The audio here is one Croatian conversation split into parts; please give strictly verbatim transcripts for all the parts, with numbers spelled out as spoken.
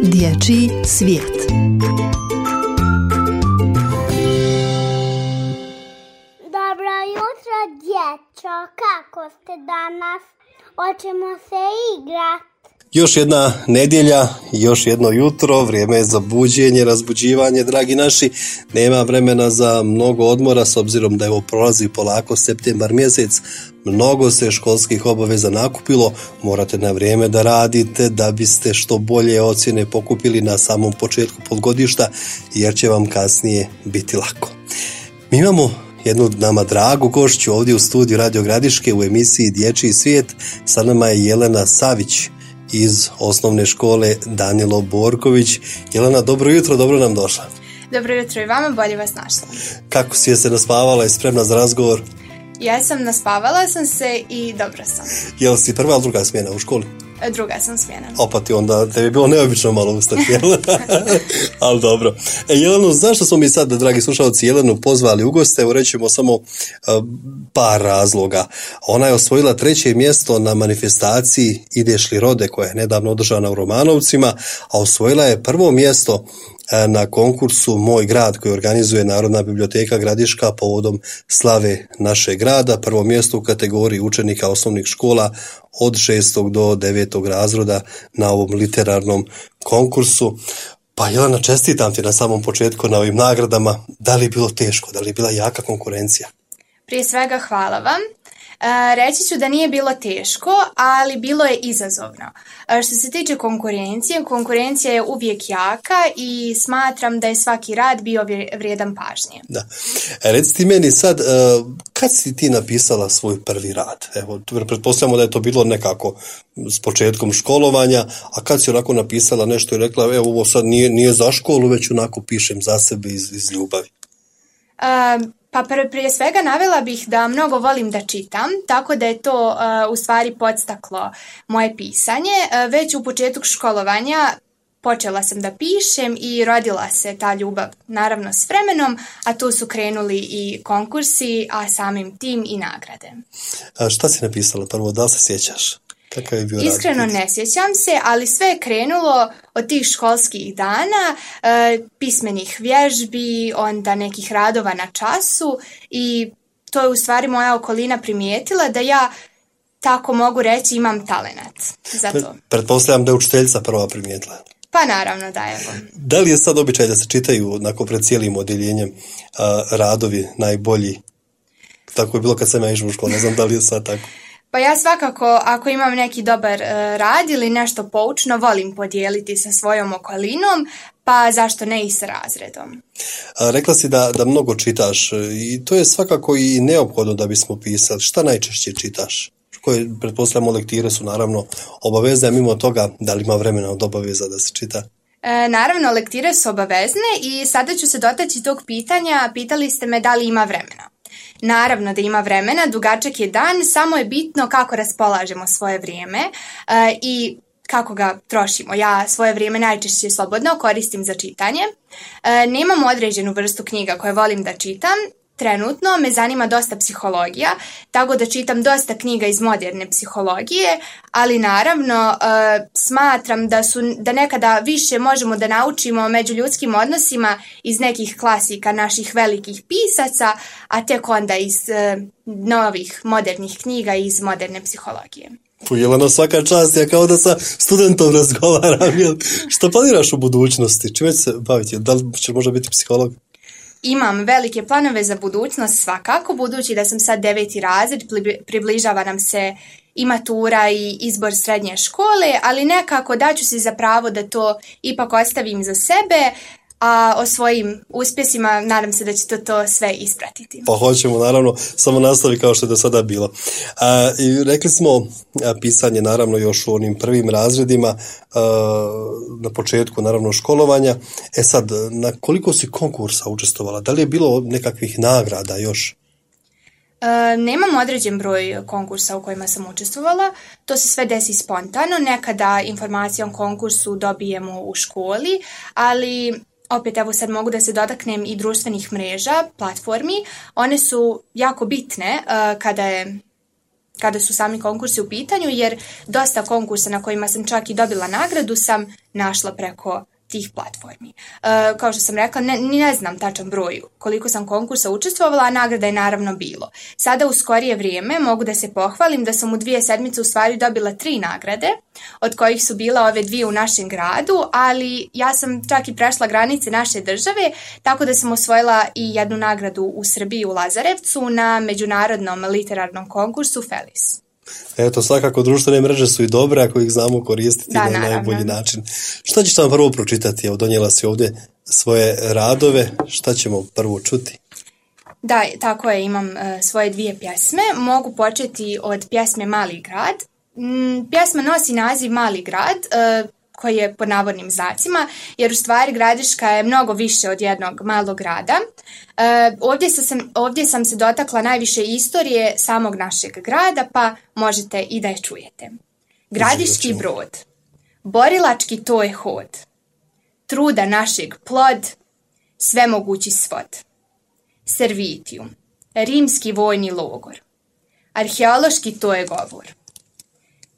Dječji svijet. Dobro jutro, djeco. Kako ste danas? Hoćemo se igrati. Još jedna nedjelja, još jedno jutro, vrijeme je za buđenje, razbuđivanje, dragi naši. Nema vremena za mnogo odmora, s obzirom da evo prolazi polako septembar mjesec. Mnogo se školskih obaveza nakupilo, morate na vrijeme da radite da biste što bolje ocjene pokupili na samom početku polugodišta, jer će vam kasnije biti lako. Mi imamo jednu nama dragu gošću ovdje u studiju Radio Gradiške u emisiji Dječji svijet. Sa nama je Jelena Savić iz osnovne škole Danilo Borković. Jelena, dobro jutro, dobro nam došla. Dobro jutro i vama, bolje vas našla. Kako si je se naspavala i spremna za razgovor? Ja sam naspavala sam se i dobro sam. Jel si prva ili druga smjena u školi? Druga sam smjena. Opa ti onda, te bi bilo neobično malo ustati, jel? Ali dobro. E, Jelenu, zašto smo mi sad, dragi slušalci, Jelenu pozvali u goste? Evo rećemo samo uh, par razloga. Ona je osvojila treće mjesto na manifestaciji Ideš li rode, koja je nedavno održana u Romanovcima, a osvojila je prvo mjesto na konkursu Moj grad koji organizuje Narodna biblioteka Gradiška povodom slave našeg grada. Prvo mjesto u kategoriji učenika osnovnih škola od šestog do devetog razreda na ovom literarnom konkursu. Pa Jelena, čestitam ti na samom početku na ovim nagradama. Da li je bilo teško, da li je bila jaka konkurencija? Prije svega hvala vam. E, reći ću da nije bilo teško, ali bilo je izazovno. E, što se tiče konkurencije, konkurencija je uvijek jaka i smatram da je svaki rad bio vrijedan pažnje. Da. E, reci ti meni sad, e, kad si ti napisala svoj prvi rad? Evo, pretpostavljamo da je to bilo nekako s početkom školovanja, a kad si onako napisala nešto i rekla, evo, ovo sad nije, nije za školu, već onako pišem za sebe iz, iz ljubavi? E, Pa prije svega navela bih da mnogo volim da čitam, tako da je to uh, u stvari podstaklo moje pisanje. Uh, već u početku školovanja počela sam da pišem i rodila se ta ljubav, naravno s vremenom, a tu su krenuli i konkursi, a samim tim i nagrade. A šta si napisala prvo, da li se sjećaš? Kakav je bio Iskreno rad? Ne sjećam se, ali sve je krenulo od tih školskih dana, e, pismenih vježbi, onda nekih radova na času i to je u stvari moja okolina primijetila da ja, tako mogu reći, imam talenat za to. Pretpostavljam da je učiteljica prva primijetila. Pa naravno da je. Da li je sad običaj da se čitaju nakon pred cijelim odjeljenjem a, radovi najbolji? Tako je bilo kad sam ja išao u školu, ne znam da li je sad tako. Pa ja svakako, ako imam neki dobar uh, rad ili nešto poučno, volim podijeliti sa svojom okolinom, pa zašto ne i sa razredom. A, rekla si da, da mnogo čitaš i to je svakako i neophodno da bismo pisali. Šta najčešće čitaš? Koje, pretpostavljamo, lektire su naravno obavezne, a mimo toga, da li ima vremena od obaveza da se čita? E, naravno, lektire su obavezne i sada ću se dotaći tog pitanja. Pitali ste me da li ima vremena. Naravno da ima vremena, dugačak je dan, samo je bitno kako raspolažemo svoje vrijeme e, i kako ga trošimo. Ja svoje vrijeme najčešće slobodno koristim za čitanje. E, nemam određenu vrstu knjiga koje volim da čitam. Trenutno me zanima dosta psihologija, tako da čitam dosta knjiga iz moderne psihologije, ali naravno e, smatram da, su, da nekada više možemo da naučimo o međuljudskim odnosima iz nekih klasika naših velikih pisaca, a tek onda iz e, novih modernih knjiga iz moderne psihologije. Jelena, svaka čast, ja kao da sa studentom razgovaram. Jel? Što planiraš u budućnosti? Čime će se baviti? Da li će možda biti psiholog? Imam velike planove za budućnost svakako, budući da sam sad deveti razred, približava nam se i matura i izbor srednje škole, ali nekako daću si za pravo da to ipak ostavim za sebe, a o svojim uspjesima nadam se da će to, to sve ispratiti. Pa hoćemo, naravno, samo nastavi kao što je do sada bilo. A, i rekli smo a, pisanje naravno još u onim prvim razredima, a, na početku naravno školovanja. E sad, na koliko si konkursa učestvovala? Da li je bilo nekakvih nagrada još? E, nemam određen broj konkursa u kojima sam učestvovala, to se sve desi spontano, nekada informacije o konkursu dobijemo u školi, ali opet evo sad mogu da se dotaknem i društvenih mreža, platformi, one su jako bitne uh, kada je kada su sami konkursi u pitanju, jer dosta konkursa na kojima sam čak i dobila nagradu sam našla preko tih platformi. E, kao što sam rekla, ne, ne znam tačan broj koliko sam konkursa učestvovala, a nagrada je naravno bilo. Sada u skorije vrijeme mogu da se pohvalim da sam u dvije sedmice u stvari dobila tri nagrade, od kojih su bila ove dvije u našem gradu, ali ja sam čak i prešla granice naše države, tako da sam osvojila i jednu nagradu u Srbiji u Lazarevcu na međunarodnom literarnom konkursu Felis. Eto, svakako društvene mreže su i dobre ako ih znamo koristiti da, na naravno. najbolji način. Šta ćeš nam prvo pročitati? Evo, donijela si ovdje svoje radove. Šta ćemo prvo čuti? Da, tako je, imam uh, svoje dvije pjesme. Mogu početi od pjesme Mali grad. Mm, pjesma nosi naziv Mali grad, uh, koji je pod navodnim znacima, jer u stvari Gradiška je mnogo više od jednog malog grada. E, ovdje, sam, ovdje sam se dotakla najviše istorije samog našeg grada, pa možete i da je čujete. Gradiški brod, borilački to je hod, truda našeg plod, svemogući svod. Servitijum, rimski vojni logor, arheološki to je govor.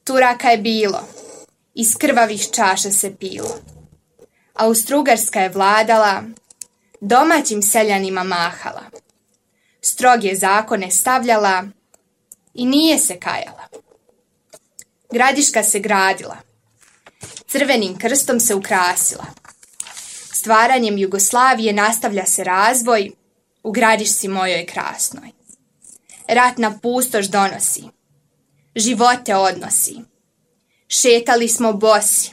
Turaka je bilo, iz krvavih čaša se pilo. Austrougarska je vladala, domaćim seljanima mahala. Stroge zakone stavljala i nije se kajala. Gradiška se gradila, crvenim krstom se ukrasila. Stvaranjem Jugoslavije nastavlja se razvoj u Gradišci mojoj krasnoj. Ratna pustoš donosi, živote odnosi. Šetali smo bosi,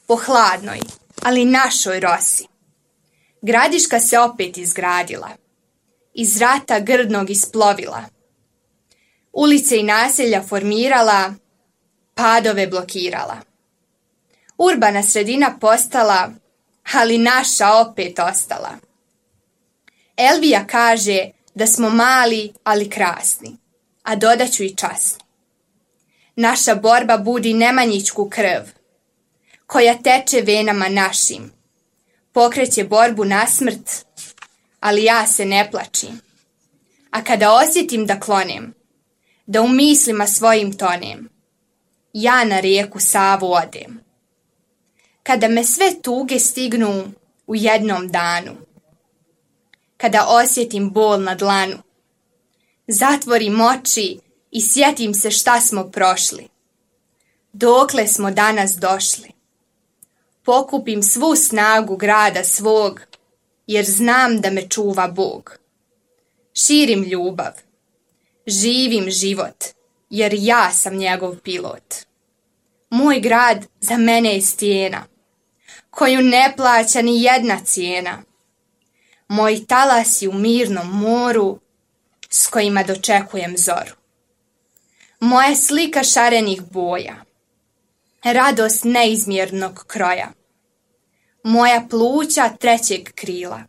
po hladnoj, ali našoj rosi. Gradiška se opet izgradila, iz rata grdnog isplovila. Ulice i naselja formirala, padove blokirala. Urbana sredina postala, ali naša opet ostala. Elvija kaže da smo mali, ali krasni, a dodaću i časni. Naša borba budi nemanjičku krv, koja teče venama našim. Pokreće borbu na smrt, ali ja se ne plačim. A kada osjetim da klonem, da u mislima svojim tonem, ja na rijeku Savu odem. Kada me sve tuge stignu u jednom danu, kada osjetim bol na dlanu, zatvorim oči i sjetim se šta smo prošli, dokle smo danas došli. Pokupim svu snagu grada svog, jer znam da me čuva Bog. Širim ljubav, živim život, jer ja sam njegov pilot. Moj grad za mene je stijena, koju ne plaća ni jedna cijena. Moji talasi u mirnom moru, s kojima dočekujem zoru. Moja slika šarenih boja, radost neizmjernog kroja. Moja pluća trećeg krila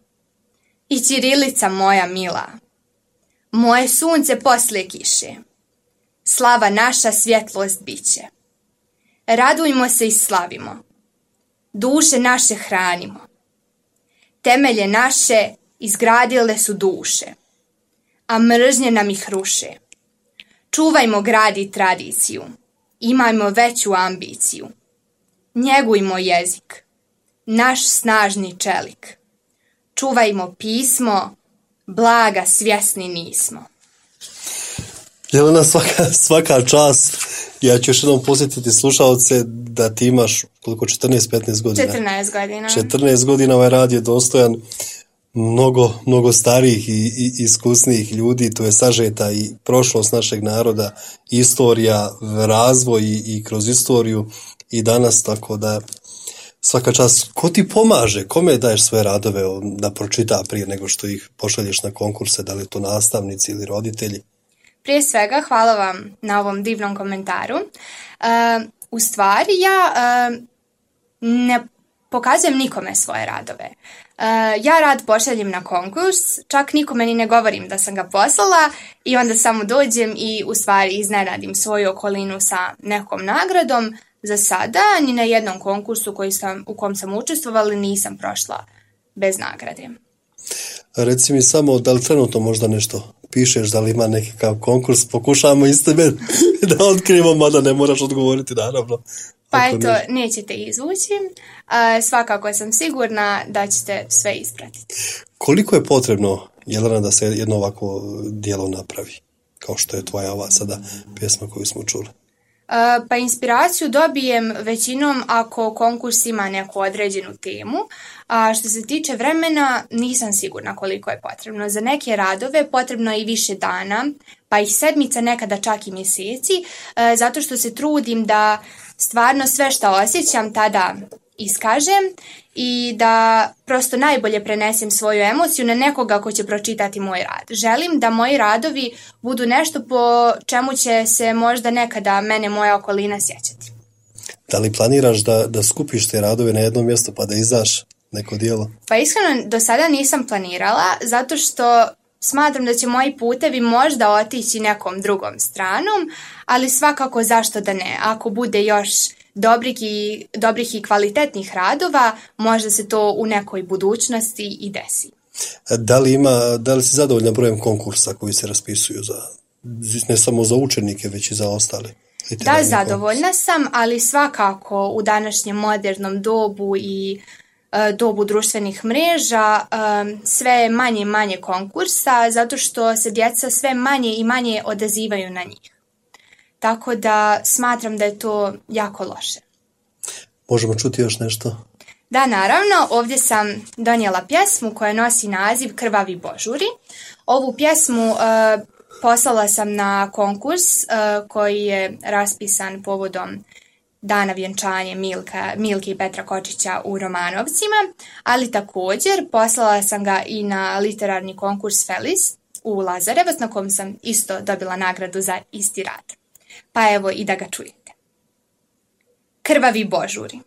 i ćirilica moja mila. Moje sunce poslije kiše, slava naša svjetlost biće. Radujmo se i slavimo, duše naše hranimo. Temelje naše izgradile su duše, a mržnje nam ih ruše. Čuvajmo grad i tradiciju, imajmo veću ambiciju. Njegujmo jezik, naš snažni čelik. Čuvajmo pismo, blaga svjesni nismo. Jelena, svaka, svaka čast. Ja ću još jednom posjetiti slušalce da ti imaš koliko, četrnaest petnaest godina. četrnaest godina. četrnaest godina ovaj rad je dostojan mnogo, mnogo starijih i, i iskusnijih ljudi. Tu je sažeta i prošlost našeg naroda, istorija, razvoj i, i kroz istoriju i danas, tako da svaka čast. Ko ti pomaže? Kome daješ svoje radove da pročita prije nego što ih pošalješ na konkurse? Da li to nastavnici ili roditelji? Prije svega, hvala vam na ovom divnom komentaru. Uh, u stvari, ja uh, ne pokazujem nikome svoje radove. Uh, ja rad pošaljem na konkurs, čak nikome ni ne govorim da sam ga poslala i onda samo dođem i u stvari iznenadim svoju okolinu sa nekom nagradom. Za sada, ni na jednom konkursu koji sam, u kom sam učestvovala nisam prošla bez nagrade. Reci mi samo, da li trenutno možda nešto pišeš da li ima nekakav konkurs, pokušamo iz tebe da otkrijemo, mada ne moraš odgovoriti, naravno. Pa eto, ne... nećete izvući. A, svakako sam sigurna da ćete sve ispratiti. Koliko je potrebno, Jelena, da se jedno ovako djelo napravi? Kao što je tvoja ova sada pjesma koju smo čuli. Pa inspiraciju dobijem većinom ako konkurs ima neku određenu temu, a što se tiče vremena nisam sigurna koliko je potrebno. Za neke radove potrebno je i više dana, pa i sedmica, nekada čak i mjeseci, zato što se trudim da stvarno sve što osjećam tada iskažem i da prosto najbolje prenesem svoju emociju na nekoga ko će pročitati moj rad. Želim da moji radovi budu nešto po čemu će se možda nekada mene moja okolina sjećati. Da li planiraš da, da skupiš te radove na jednom mjestu pa da izdaš neko djelo? Pa iskreno do sada nisam planirala, zato što smatram da će moji putevi možda otići nekom drugom stranom, ali svakako zašto da ne. Ako bude još dobrih i, dobrih i kvalitetnih radova, možda se to u nekoj budućnosti i desi. Da li ima, da li si zadovoljna brojem konkursa koji se raspisuju za, ne samo za učenike, već i za ostale? Da, zadovoljna sam, ali svakako u današnjem modernom dobu i e, dobu društvenih mreža e, sve je manje i manje konkursa, zato što se djeca sve manje i manje odazivaju na njih. Tako da smatram da je to jako loše. Možemo čuti još nešto? Da, naravno. Ovdje sam donijela pjesmu koja nosi naziv Krvavi božuri. Ovu pjesmu uh, poslala sam na konkurs uh, koji je raspisan povodom dana vjenčanja Milka, Milke i Petra Kočića u Romanovcima, ali također poslala sam ga i na literarni konkurs Felis u Lazarevac, na kom sam isto dobila nagradu za isti rad. Pa evo i da ga čujete. Krvavi božuri.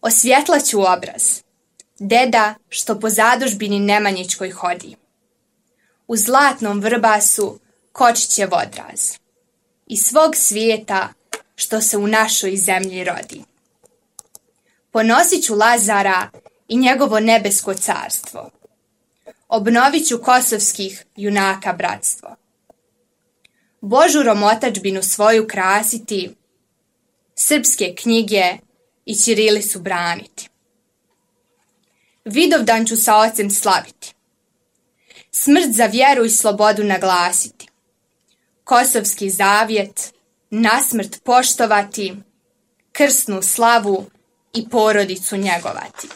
Osvjetlaću obraz. Deda što po zadužbini Nemanjičkoj hodi. U zlatnom vrbasu Kočićev odraz. I svog svijeta što se u našoj zemlji rodi. Ponosit ću Lazara i njegovo nebesko carstvo. Obnovit ću kosovskih junaka bratstvo. Božurom otadžbinu svoju krasiti, srpske knjige i ćirilicu braniti. Vidovdan ću sa ocem slaviti, smrt za vjeru i slobodu naglasiti, kosovski zavjet nasmrt poštovati, krsnu slavu i porodicu njegovati.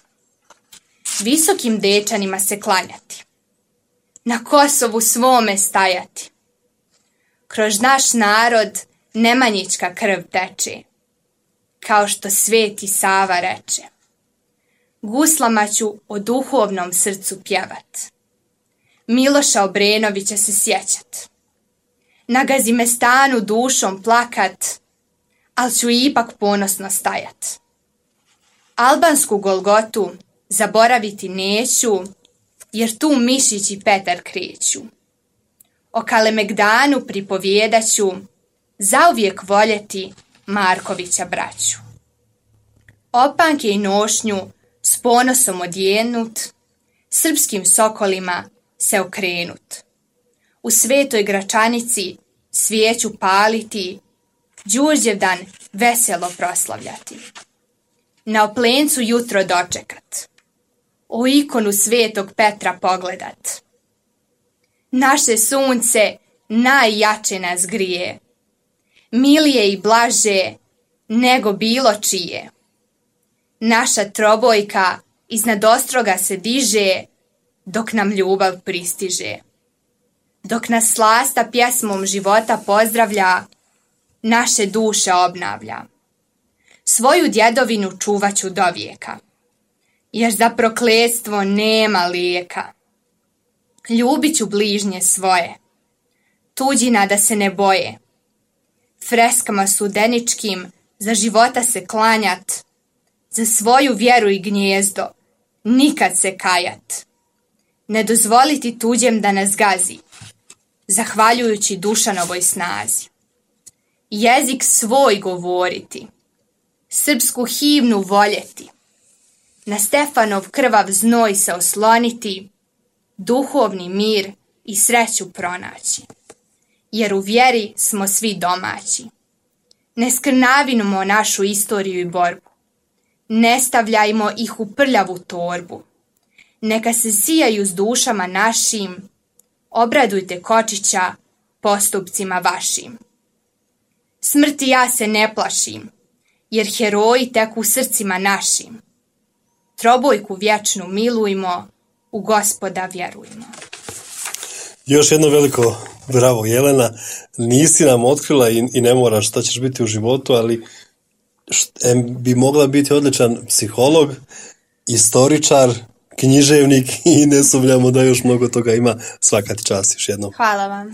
Visokim dečanima se klanjati, na Kosovu svome stajati. Kroz naš narod Nemanjička krv teče, kao što Sveti Sava reče. Guslama ću o duhovnom srcu pjevat, Miloša Obrenovića se sjećat, na Gazimestanu dušom plakat, al ću ipak ponosno stajat. Albansku Golgotu zaboraviti neću, jer tu Mišić i Petar kreću. O Kalemegdanu pripovjedaću, zauvijek voljeti Markovića braću. Opanke i nošnju s ponosom odjenut, srpskim sokolima se okrenut. U svetoj Gračanici svijeću paliti, Đurđevdan veselo proslavljati. Na Oplencu jutro dočekat, o ikonu svetog Petra pogledat. Naše sunce najjače nas grije, milije i blaže nego bilo čije. Naša trobojka iznad ostroga se diže, dok nam ljubav pristiže. Dok nas slasta pjesmom života pozdravlja, naše duše obnavlja. Svoju djedovinu čuvaću do vijeka, jer za prokletstvo nema lijeka. Ljubit ću bližnje svoje, tuđina da se ne boje. Freskama sudeničkim za života se klanjat, za svoju vjeru i gnjezdo nikad se kajat. Ne dozvoliti tuđem da nas gazi, zahvaljujući Dušanovoj snazi. Jezik svoj govoriti, srpsku himnu voljeti, na Stefanov krvav znoj se osloniti, duhovni mir i sreću pronaći, jer u vjeri smo svi domaći. Ne skrnavimo našu istoriju i borbu, ne stavljajmo ih u prljavu torbu. Neka se sijaju s dušama našim, obradujte Kočića postupcima vašim. Smrti ja se ne plašim, jer heroji tek u srcima našim. Trobojku vječnu milujmo, u Gospoda vjerujmo. Još jedno veliko bravo, Jelena. Nisi nam otkrila i, i ne moraš šta ćeš biti u životu, ali št, bi mogla biti odličan psiholog, istoričar, književnik i ne sumnjamo da još mnogo toga ima. Svaka ti čast još jednom. Hvala vam.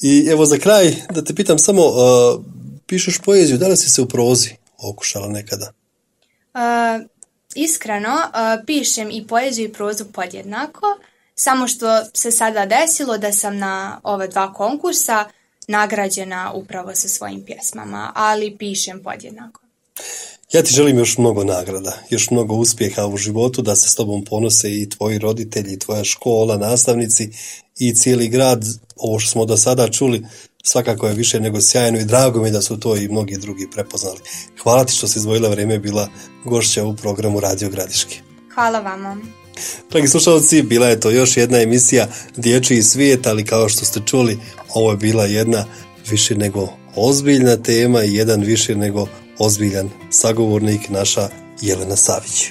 I evo za kraj da te pitam samo, uh, pišeš poeziju, da li si se u prozi okušala nekada? Uh, iskreno, uh, pišem i poeziju i prozu podjednako, samo što se sada desilo da sam na ova dva konkursa nagrađena upravo sa svojim pjesmama, ali pišem podjednako. Ja ti želim još mnogo nagrada, još mnogo uspjeha u životu, da se s tobom ponose i tvoji roditelji, i tvoja škola, nastavnici i cijeli grad. Ovo što smo do sada čuli svakako je više nego sjajno i drago mi da su to i mnogi drugi prepoznali. Hvala ti što si izdvojila vrijeme i bila gošća u programu Radio Gradiški. Hvala vama. Dragi slušalci, bila je to još jedna emisija Dječji svijet, ali kao što ste čuli, ovo je bila jedna više nego ozbiljna tema i jedan više nego ozbiljan sagovornik, naša Jelena Savić.